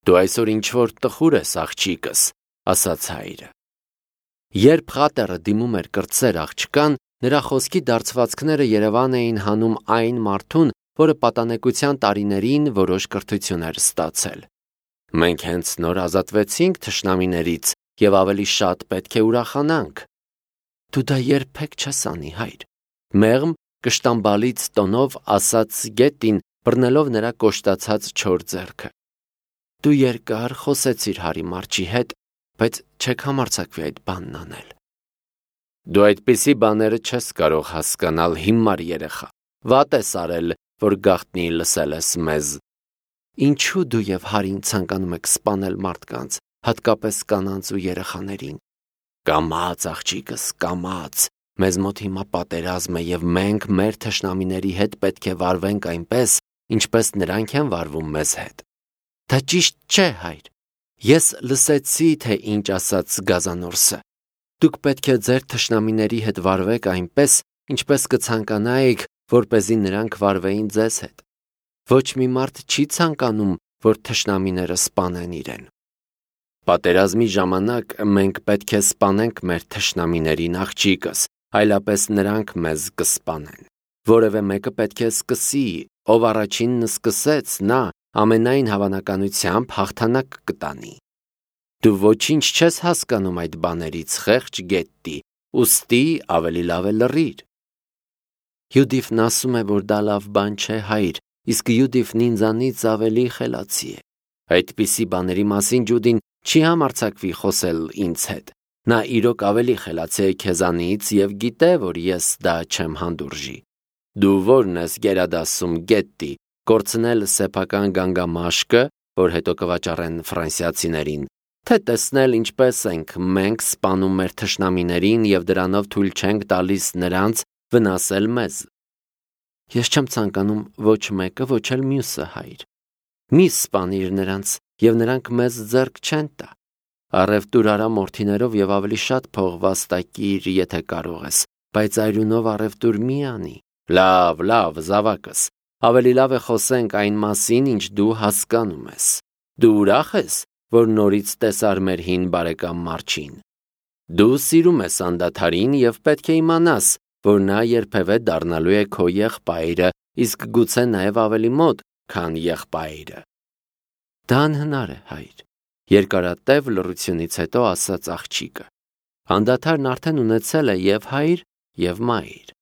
Դու այսօր ինչ-որ տխուր ես, աղջիկս, ասաց հայրը։ Երբ խատերը դիմում էր կրտսեր աղջկան, նրա խոսքի դարձվածքները Երևան էին հանում այն մարդուն, որը պատանեկության տարիներին որոշ կրթություն էր ստացել։ Մենք հենց նոր ազատվեցինք թշնամիներից և ավելի շատ պետք է ուրախանանք։ Դու դա երբեք չես անի, հայր, մեղմ կշտամբալից տոնով ասաց Գետին, բռնելով նրա կոշտացած չոր ձեռքը։ Դու երկար խոսեցիր Հարի Մարչի հետ, բայց չեք համարձակվի այդ բանն անել։ Դու այդպիսի բաները չես կարող հասկանալ, հիմար երեխա, վատ ես արել, որ գաղտնի լսել ես մեզ։ Ինչու դու և Հարին ցանկանում եք սպանել մարդկանց, հատկապես կանանց ու երեխաներին։ Կամաց, աղջիկս, կամաց, մեզ մոտ հիմա պատերազմ է և մենք մեր թշնամիների հետ պետք է վարվենք այնպես, ինչպես նրանք են վարվում մեզ հետ։ Դա ճիշտ չէ, հայր։ Ես լսեցի, թե ինչ ասաց Գազանորսը։ Դուք պետք է ձեր թշնամիների հետ վարվեք այնպես, ինչպես կցանկանայիք, որպեսզի նրանք վարվեին ձեզ հետ։ Ոչ մի մարդ չի ցանկանում, որ թշնամիները սպանեն իրեն։ Պատերազմի ժամանակ մենք պետք է սպանենք մեր թշնամիներին, աղջիկս, այլապես նրանք մեզ կսպանեն։ Որևէ մեկը պետք է սկսի, ով առաջինն սկսեց, նա ամենայն հավանականությամբ հաղթանակ կտանի։ Դու ոչինչ չես հասկանում այդ բաներից, խեղճ Գետտի, ուստի ավելի լավ է լռիր։ Յուդիֆն ասում է, որ դա լավ բան չէ, հայր, իսկ Յուդիֆն ինձանից ավելի խելացի է։ Այդպիսի բաների մասին Ջուդին չի համարձակվի խոսել ինձ հետ։ Նա իրոք ավելի խելացի է քեզանից և գիտե, որ ես դա չեմ հանդուրժի։ Դու ո՞րն ես գերադասում, Գետտի, կորցնել սեփական գանգամաշկը, որ հետո կվաճառեն ֆրանսիացիներին, թե տեսնել ինչպես ենք մենք սպանում մեր թշնամիներին և դրանով թույլ չենք տալիս նրանց վնասել մեզ։ Ես չեմ ցանկանում ոչ մեկը, ոչ էլ մյուսը, հայր։ Մի սպանիր նրանց, և նրանք մեզ ձեռք չեն տա։ Առևտուր արա մորթիներով և ավելի շատ փող վաստակիր, եթե կարող ես, բայց այրունով առևտուր մի անի։ Լավ, զավակս, ավելի լավ է խոսենք այն մասին, ինչ դու հասկանում ես։ Դու ուրախ ես, որ նորից տեսար մեր հին բարեկամ Մարչին։ Դու սիրում ես անդադարին և պետք է իմանաս, որ նա երբևէ դառնալու է քո եղբայրը, իսկ գուցե նաև ավելի մոտ, քան եղբայրը։ Դա անհնար է, հայր, երկարատև լռությունից հետո ասաց աղջիկը։ Անդադարն արդեն ունեցել է և հայր, և մայր։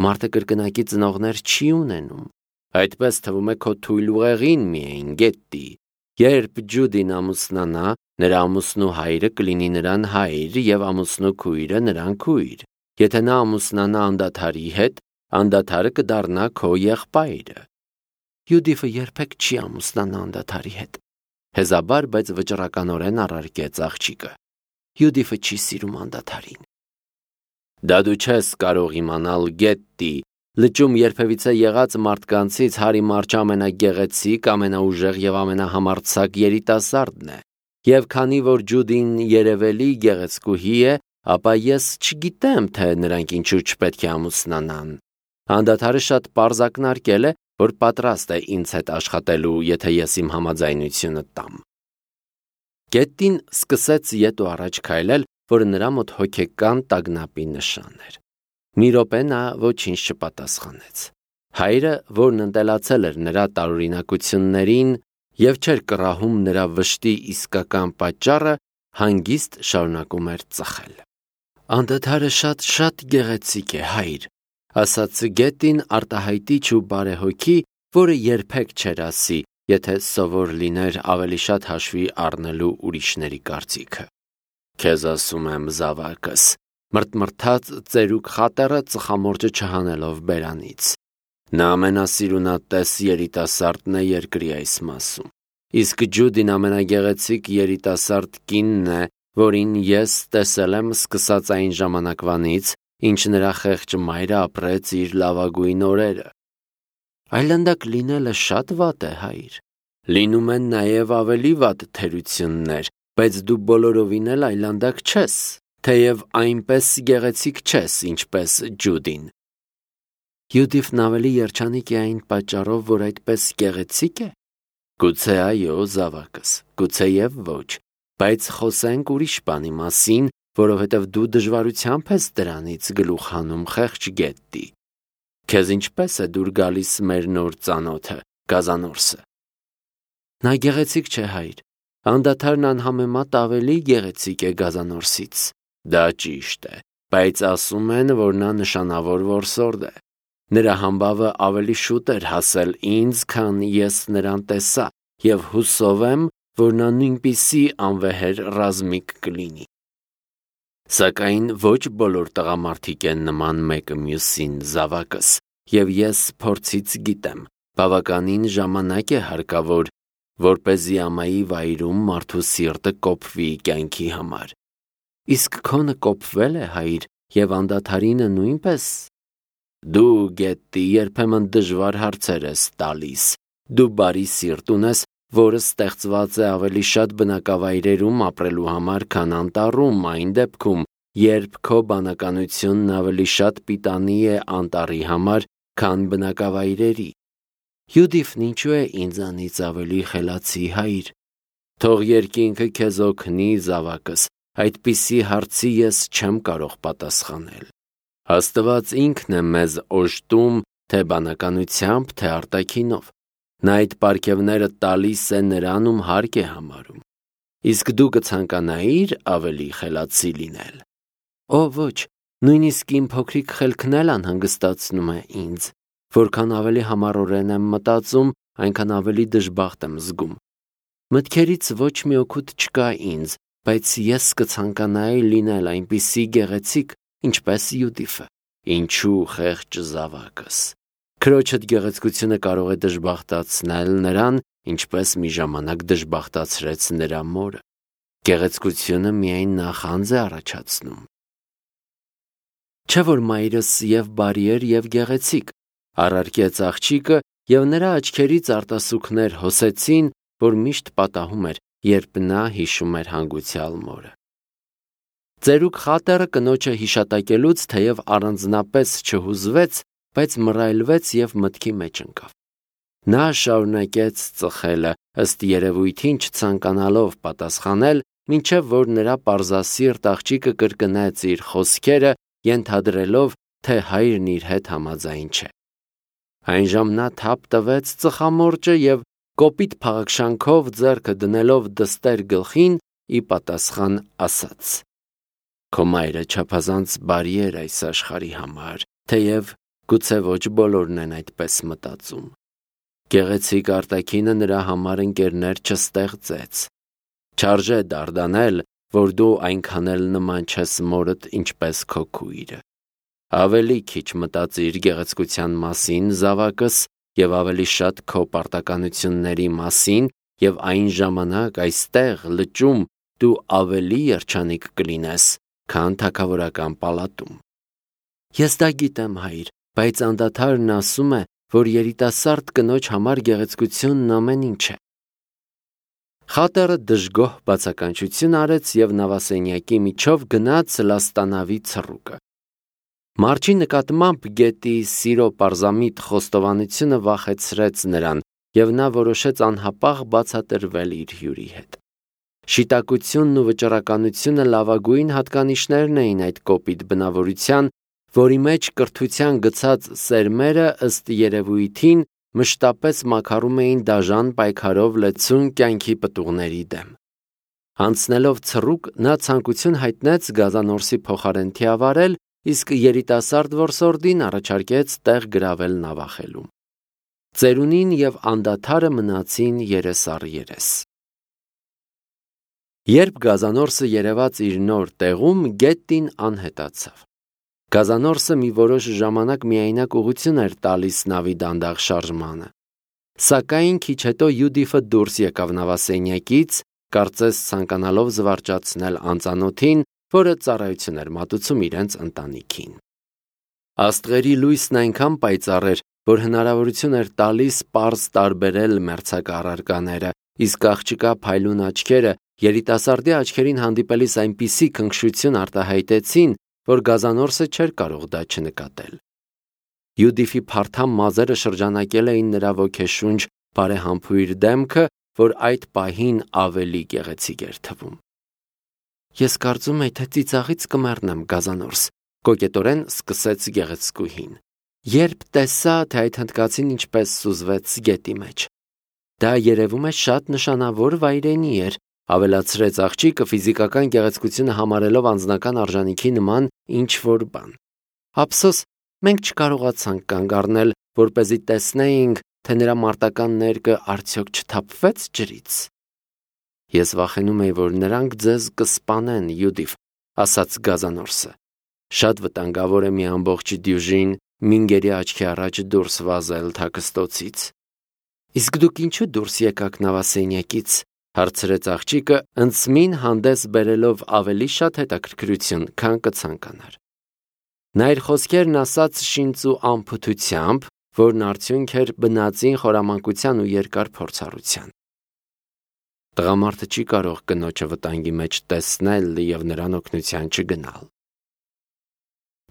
Մարդը կրկնակի ծնողներ չի ունենում։ Այդպես թվում է քո թույլ ուղեղին միայն, Գետտի։ Երբ Ջուդին ամուսնանա, նրա ամուսնու հայրը կլինի նրան հայր և ամուսնու քույրը նրան քույր։ Եթե նա ամուսնանա անդադարի հետ, անդադարը կդառնա քո եղբայրը։ Յուդիֆը երբեք չի ամուսնանա անդադարի հետ։ Հեզաբար, բայց վճռականորեն առարկեց աղջիկը։ Յուդիֆը չի սիրում անդադարին։ Դա դու չես կարող իմանալ, Գետտի, լճում երբևիցե եղած մարդկանցից Հարի Մարչը ամենագեղեցիկ, ամենաուժեղ և ամենահամարձակ երիտասարդն է։ Եվ քանի որ Ջուդին երևելի գեղեցկուհի է, ապա ես չգիտեմ, թե նրանք ինչու չպետք է ամուսնանան։ Անդադարը շատ պարզ ակնարկել է, որ պատրաստ է ինձ հետ աշխատելու, եթե ես իմ համաձայնությունը տամ։ Գետտին սկսեց ետ ու առաջ քայլել, որը նրա մոտ հոգեկան տագնապի նշան էր։ Մի րոպե նա ոչինչ չպատասխանեց։ Հայրը, որն ընտելացել էր նրա տարօրինակություններին և չէր կռահում նրա վշտի իսկական պատճառը, հանգիստ շարունակում էր ծխել։ Անդադարը շատ գեղեցիկ է, հայր, ասաց Գետին արտահայտիչ ու բարեհոգի, որը երբեք չէր ասի, եթե սովոր լիներ ավելի շատ հաշվի առնելու ուրիշների կարծիքը։ Քեզ ասում եմ, զավակս, մրթմրթաց ծերուկ խատերը ծխամորճը չհանելով բերանից։ Նա ամենասիրունատես երիտասարդն է երկրի այս մասում։ Իսկ Ջուդին ամենագեղեցիկ երիտասարդ կինն է, որին ես տեսել եմ սկսած այն ժամանակվանից, ինչ նրա խեղճ մայրը ապրեց իր լավագույն օրերը։ Այլանդակ լինելը շատ վատ է, հայր։ Լինում են նաև ավելի վատ թերություններ, բայց դու բոլորովին էլ այլանդակ չես, թեև այնպես գեղեցիկ չես, ինչպես Ջուդին։ Յուդիֆն ավելի երջանիկ է այն պատճառով, որ այդպես գեղեցիկ է։ Գուցե այո, զավակս, գուցե եւ ոչ, բայց խոսենք ուրիշ բանի մասին, որովհետև դու դժվարությամբ ես դրանից գլուխ հանում խեղճ գետտի։ Քեզ ինչպես է դուր գալիս մեր նոր ծանոթը, Գազանորսը։ Նա գեղեցիկ չէ, հայր, անդադարն անհամեմատ ավելի գեղեցիկ է Գազանորսից։ Դա ճիշտ է, բայց ասում են, որ նա նշանավոր որսորդ է։ Նրա համբավը ավելի շուտ էր հասել ինձ, քան ես նրան տեսա, եւ հուսով եմ, որ նա նույնպիսի անվեհեր ռազմիկ կլինի։ Սակայն ոչ բոլոր տղամարդիկ են նման մեկը մյուսին, զավակս, եւ ես փորձից գիտեմ, բավականին ժամանակ է հարկավոր, որպեսզի ամայի վայրում մարդու սիրտը կոփվի կյանքի համար։ Իսկ քոնը կոփվել է, հայր, եւ անդադարինը նույնպես։ Դու գետտի երբեմն դժվար հարցեր ես տալիս, դու բարի սիրտ ունես, որը ստեղծված է ավելի շատ բնակավայրերում ապրելու համար, քան անտառում, այն դեպքում, երբ քո բանականությունն ավելի շատ պիտանի է անտառի համար, քան բնակավայրերի։ Յուդիֆն ինչու է ինձանից ավելի խելացի, հայր։ Թող երկինքը քեզ օգնի, զավակս, այդպիսի հարցի ես չեմ կարող պատասխանել։ Աստված ինքն է մեզ օժտում, թե բանականությամբ, թե արտաքինով։ Նա այդ պարգևները տալիս է նրան, ում հարկ է համարում։ Իսկ դու կցանկանայիր ավելի խելացի լինել։ Օ, ոչ, նույնիսկ իմ փոքրիկ խելքն էլ անհանգստացնում է ինձ։ Որքան ավելի համառորեն եմ մտածում, այնքան ավելի դժբախտ եմ զգում։ Մտքերից ոչ մի օգուտ չկա ինձ, բայց ես կցանկանայի լինել այնպիսի գեղեցիկ, ինչպես Յուդիֆը։ Ինչու խեղճ զավակս։ Քրոջդ գեղեցկությունը կարող է դժբախտացնել նրան, ինչպես մի ժամանակ դժբախտացրեց նրա մորը։ Գեղեցկությունը միայն նախանձ է առաջացնում։ Չէ՞ որ մայրս եւ բարի էր եւ գեղեցիկ, առարկեց աղջիկը, եւ նրա աչքերից արտասուքներ հոսեցին, որ միշտ պատահում էր, երբ նա հիշում էր հանգուցյալ մորը։ Ծերուկ խատերը կնոջը հիշատակելուց թեև առանձնապես չհուզվեց, բայց մռայլվեց եւ մտքի մեջ ընկավ։ Նա շարունակեց ծխելը, ըստ երևույթին չցանկանալով պատասխանել, մինչև որ նրա պարզասիրտ աղջիկը կրկնեց իր խոսքերը, ենթադրելով, թե հայրն իր հետ համաձայն չէ։ Այնժամ նա թափ տվեց ծխամորճը եւ կոպիտ փաղաքշանքով ձեռքը դնելով դստեր գլխին, ի պատասխան ասաց. Քո մայրը չափազանց բարի էր այս աշխարհի համար, թեև գուցե ոչ բոլորն են այդպես մտածում։ Գեղեցիկ արտաքինը նրա համար ընկերներ չստեղծեց։ Չարժե դարդանել, որ դու այնքան էլ նման չես մորդ, ինչպես քո քույրը։ Ավելի քիչ մտածիր գեղեցկության մասին, զավակս, եւ ավելի շատ քո պարտականությունների մասին, եւ այն ժամանակ այստեղ լճում դու ավելի երջանիկ կլինես, քան թագավորական պալատում։ Ես դա գիտեմ, հայր, բայց անդադարն ասում է, որ երիտասարդ կնոջ համար գեղեցկությունն ամեն ինչ է։ Խատերը դժգոհ բացականչություն արեց եւ նավասենյակի միջով գնաց լաստանավի ցռուկը։ Մարջի նկատմամբ գետի սիրո պարզամիտ խոստովանությունը վախեցրեց նրան, եւ նա որոշեց անհապաղ բացատրվել իր հյուրի հետ։ Շիտակությունն ու վճռականությունը լավագույն հատկանիշներն էին այդ կոպիտ բնավորության, որի մեջ կրթության գցած սերմերը ըստ երևույթին մշտապես մաքարում էին դաժան պայքարով լեցուն կյանքի պտուղների դեմ։ Անցնելով ցռուկ, նա ցանկություն հայտնեց Գազանորսի փոխարեն թիավարել, իսկ երիտասարդ որսորդին առաջարկեց տեղ գրավել նավախելում։ Ծերունին եւ անդադարը մնացին երես։ Երբ Գազանորսը երևաց իր նոր տեղում, գետտին անհետացավ։ Գազանորսը մի որոշ ժամանակ միայնակ ուղղություն էր տալիս նավի դանդաղ շարժմանը։ Սակայն քիչ հետո Յուդիֆը դուրս եկավ նավասենյակից, կարծես ցանկանալով զվարճացնել անծանոթին, որը ծառայություն էր մատուցում իրենց ընտանիքին։ Աստղերի լույսն այնքան պայծառ էր, որ հնարավորություն էր տալիս պարզ տարբերել մերձակա առարկաները, իսկ աղջկա փայլուն աչքերը երիտասարդի աչքերին հանդիպելիս այնպիսի քնքշություն արտահայտեցին, որ Գազանորսը չէր կարող դա չնկատել։ Յուդիֆի փարթամ մազերը շրջանակել էին նրա ոգեշունչ բարեհամբույր դեմքը, որ այդ պահին ավելի գեղեցիկ էր թվում։ Ես կարծում եի, թե ծիծաղից կմեռնեմ, Գազանորս, կոկետորեն սկսեց գեղեցկուհին, երբ տեսա, թե այդ հնդկացին ինչպես սուզվեց գետի մեջ։ Դա երևում է շատ նշանավոր վայրենի էր, ավելացրեց աղջիկը ֆիզիկական գեղեցկությունը համարելով անձնական արժանիքի նման ինչ-որ բան։ Ափսոս, մենք չկարողացանք կանգ առնել, որպեսզի տեսնեինք, թե նրա մարտական ներկը արդյոք չթափվեց ջրից։ Ես վախենում էի, որ նրանք ձեզ կսպանեն, Յուդիֆ, ասաց Գազանորսը։ Շատ վտանգավոր է մի ամբողջ դյուժին մինգերի աչքի առաջ դուրս վազել թաքստոցից։ Իսկ դուք ինչու դուրս եկաք նավասենյակից, հարցրեց աղջիկը, ընծմին հանդես բերելով ավելի շատ հետաքրքրություն, քան կցանկանար։ Նա իր խոսքերն ասաց շինծ ու անփութությամբ, որն արդյունք էր բնածին խորամանկության ու երկար փորձառության։ Տղամարդը չի կարող կնոջը վտանգի մեջ տեսնել և նրան օգնության չգնալ։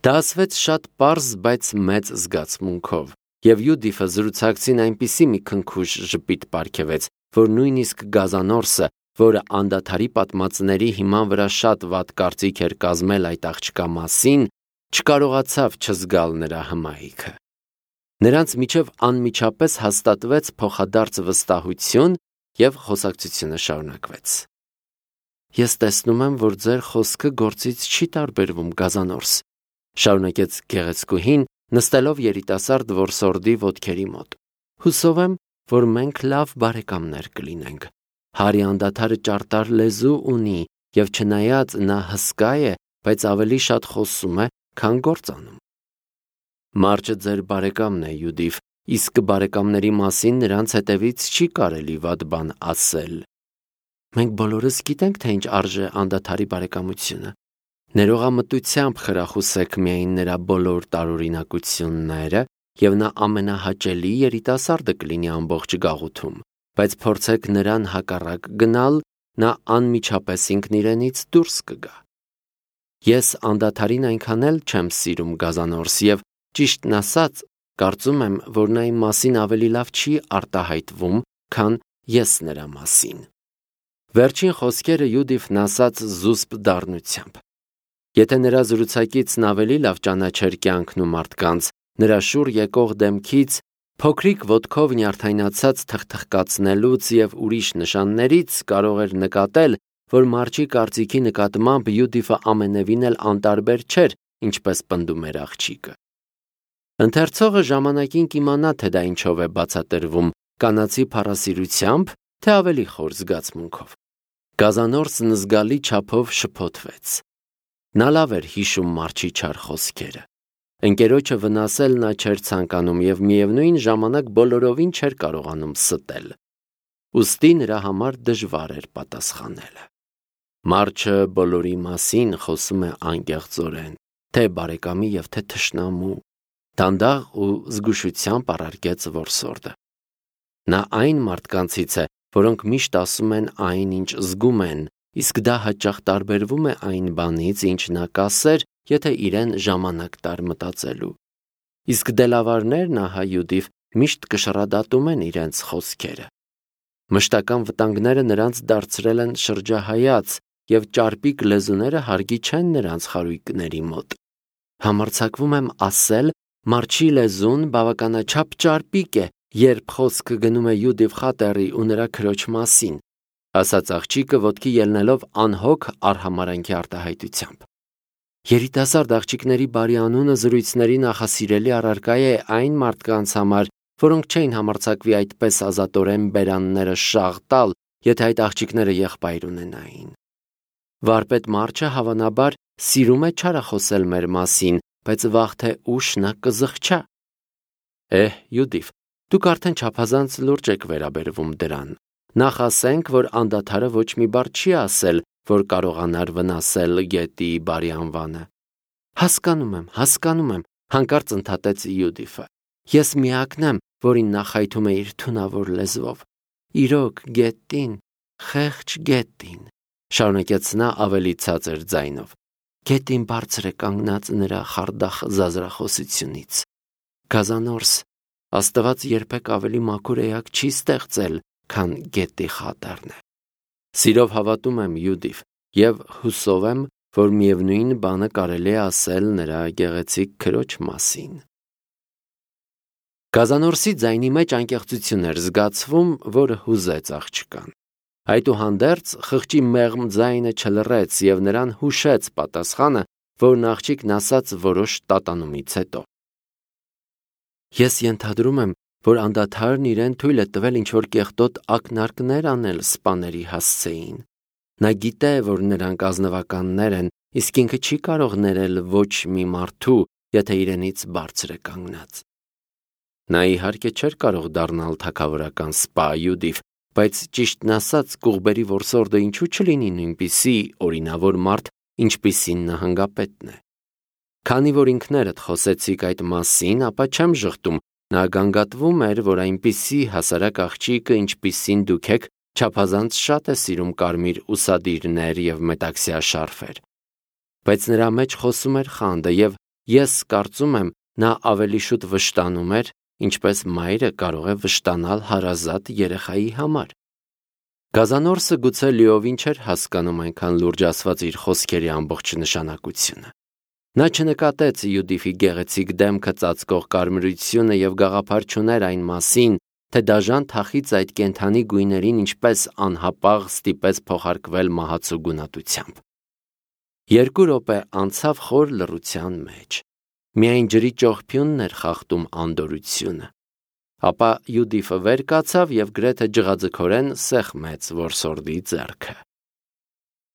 Դա ասվեց շատ պարզ, բայց մեծ զգացմունքով, և Յուդիֆը զրուցակցին այնպիսի մի քնքուշ ժպիտ պարգևեց, որ նույնիսկ Գազանորսը, որը անդադարի պատմածների հիման վրա շատ վատ կարծիք էր կազմել այդ աղջկա մասին, չկարողացավ չզգալ նրա հմայիքը։ Նրանց միջև անմիջապես հաստատվեց փոխադարձ վստահություն և խոսակցությունը շարունակվեց։ Ես տեսնում եմ, որ ձեր խոսքը գործից չի տարբերվում, Գազանորս, շարունակեց գեղեցկուհին, նստելով երիտասարդ որսորդի ոտքերի մոտ։ Հուսով եմ, որ մենք լավ բարեկամներ կլինենք։ Հարի անդադարը ճարտար լեզու ունի, և չնայած նա հսկա է, բայց ավելի շատ խոսում է, քան գործ անում։ Մարճը ձեր բարեկամն է, Յուդիֆ, իսկ բարեկամների մասին նրանց հետևից չի կարելի վատ բան ասել։ Մենք բոլորս գիտենք, թե ինչ արժե անդադարի բարեկամությունը։ Ներողամտությամբ խրախուսեք միայն նրա բոլոր տարօրինակությունները, և նա ամենահաճելի երիտասարդը կլինի ամբողջ գաղութում, բայց փորձեք նրան հակառակ գնալ, նա անմիջապես ինքն իրենից դուրս կգա։ Ես անդադարին այնքան էլ չեմ սիրում, Գազանորս, և ճիշտն ասած, կարծում եմ, որ նա իմ մասին ավելի լավ չի արտահայտվում, քան ես նրա մասին։ Վերջին խոսքերը Յուդիֆն ասաց զուսպ դառնությամբ։ Եթե նրա զրուցակիցն ավելի լավ ճանաչեր կյանքն ու մարդկանց, նրա շուռ եկող դեմքից, փոքրիկ ոտքով նյարդայնացած թխթխկացնելուց և ուրիշ նշաններից կարող էր նկատել, որ Մարչի կարծիքի նկատմամբ Յուդիֆը ամենևին էլ անտարբեր չէր, ինչպես պնդում էր աղջիկը։ Ընթերցողը ժամանակին կիմանա, թե դա ինչով է բացատրվում, կանացի փառասիրությամբ, թե ավելի խոր զգացմունքով։ Գազանորսն զգալի չափով շփոթվեց։ Նա լավ էր հիշում Մարչի չար խոսքերը։ Ընկերոջը վնասել նա չէր ցանկանում և միևնույն ժամանակ բոլորովին չէր կարողանում ստել։ Ուստի նրա համար դժվար էր պատասխանելը։ Մարչը բոլորի մասին խոսում է անկեղծորեն, թե բարեկամի և թե թշնամու, դանդաղ ու զգուշությամբ առարկեց որսորդը։ Նա այն մարդկանցից է, որոնք միշտ ասում են այն, ինչ զգում են, իսկ դա հաճախ տարբերվում է այն բանից, ինչ նա կասեր, եթե իրեն ժամանակ տար մտածելու։ Իսկ դելավարներն, ահա Յուդիֆ, միշտ կշռադատում են իրենց խոսքերը։ Մշտական վտանգները նրանց դարձրել են շրջահայաց, և ճարպիկ լեզուները հարգի չեն նրանց խարույկների մոտ։ Համարձակվում եմ ասել, Մարչի լեզուն բավականաչափ ճարպիկ է, երբ խոսքը գնում է Յուդիֆ Խատերի ու նրա քրոջ մասին, ասաց աղջիկը ոտքի ելնելով անհոգ արհամարանքի արտահայտությամբ։ Երիտասարդ աղջիկների բարի անունը զրույցների նախասիրելի առարկա է այն մարդկանց համար, որոնք չէին համարձակվի այդպես ազատորեն բերանները շաղ տալ, եթե այդ աղջիկները եղբայր ունենային։ Վարպետ Մարչը հավանաբար սիրում է չարախոսել մեր մասին, բայց վաղ թե ուշ նա կզղջա։ Յուդիֆ, դուք արդեն չափազանց լուրջ եք վերաբերվում դրան։ Նախ ասենք, որ անդադարը ոչ մի բառ չի ասել, որ կարողանար վնասել գետի բարի անվանը։ Հասկանում եմ, հանկարծ ընդհատեց Յուդիֆը։ Ես միակն եմ, որին նա խայթում է իր թունավոր լեզվով։ Իրոք, գետին, խեղճ գետին, շարունակեց նա ավելի ցածր ձայնով։ Գետին բարձր է կանգնած նրա խարդախ զազրախոսությունից։ Գազանորս, Աստված երբեք ավելի մաքուր էակ չի ստեղծել, քան գետի խատերն է։ Սիրով հավատում եմ Յուդիվ և հուսով եմ, որ միևնույն բանը կարելի է ասել նրա գեղեցիկ քրոջ մասին։ Գազանորսի ձայնի մեջ անկեղծություն էր զգացվում, որը հուզեց աղջկան։ Այդուհանդերձ խղճի մեղմ ձայնը չլռեց և նրան հուշեց պատասխանը, որն աղջիկն ասաց որոշ տատանումից հետո։ Ես ենթադրում եմ, որ անդադարն իրեն թույլ է տվել ինչ-որ կեղտոտ ակնարկներ անել սպաների հասցեին։ Նա գիտե, որ նրանք ազնվականներ են, իսկ ինքը չի կարող ներել ոչ մի մարդու, եթե իրենից բարձր է կանգնած։ Նա իհարկե չէր կարող դառնալ թագավորական սպա Յուդիվ, բայց ճիշտն ասած կուղբերի որսորդը ինչու չլինի նույնպիսի օրինավոր մարդ, ինչպիսին նահանգապետն է։ Քանի որ ինքներդ խոսեցիք այդ մասին, ապա չեմ ժխտում, նա գանգատվում էր, որ այնպիսի հասարակ աղջիկը, ինչպիսին դուք եք, չափազանց շատ է սիրում կարմիր ուսադիրներ և մետաքսյա շարֆեր։ Բայց նրա մեջ խոսում էր խանդը, և ես կարծում եմ, նա ավելի շուտ վշտանում էր, ինչպես մայրը կարող է վշտանալ հարազատ երեխայի համար։ Գազանորսը գուցե լիովին չէր հասկանում այնքան լուրջ ասված իր խոսքերի ամբողջ նշանակությունը։ Նա չնկատեց Յուդիֆի գեղեցիկ դեմքը ծածկող կարմրությունը և գաղափար չուներ այն մասին, թե դաժան թախից այդ կենդանի գույներին ինչպես անհապաղ ստիպեց փոխարկվել մահացու գունատությամբ։ 2 րոպե անցավ խոր լռության մեջ։ Միայն ջրի ճողփյունն էր խախտում անդորրությունը։ Ապա Յուդիֆը վեր կացավ և գրեթե ջղաձգորեն սեղմեց որսորդի ձեռքը։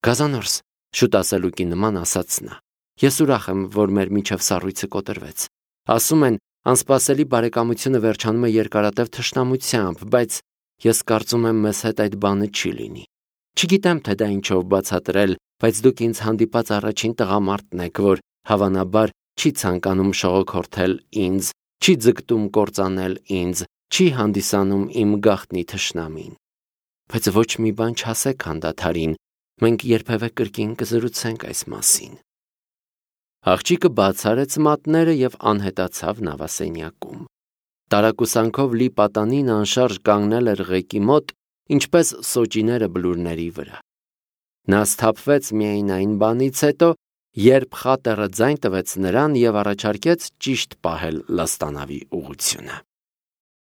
Գազանորս, շուտ ասելուկի նման ասաց նա, ես ուրախ եմ, որ մեր միջև սառույցը կոտրվեց։ Ասում են, անսպասելի բարեկամությունը վերջանում է երկարատև թշնամությամբ, բայց ես կարծում եմ մեզ հետ այդ բանը չի լինի։ Չգիտեմ, թե դա ինչով բացատրել, բայց դուք ինձ հանդիպած առաջին տղամարդն եք, որ հավանաբար չի ցանկանում շողոքորթել ինձ, չի ձգտում կործանել ինձ, չի հանդիսանում իմ գաղտնի թշնամին։ Բայց ոչ մի բան չասեք հանդադարին, մենք երբևէ կրկին կզրուցենք այս մասին։ Աղջիկը բաց արեց մատները և անհետացավ նավասենյակում։ Տարակուսանքով լի պատանին անշարժ կանգնել էր ղեկի մոտ, ինչպես սոճիները բլուրների վրա։ Նա սթափվեց միայն այն բանից հետո, երբ խատերը ձայն տվեց նրան և առաջարկեց ճիշտ պահել լաստանավի ուղղությունը։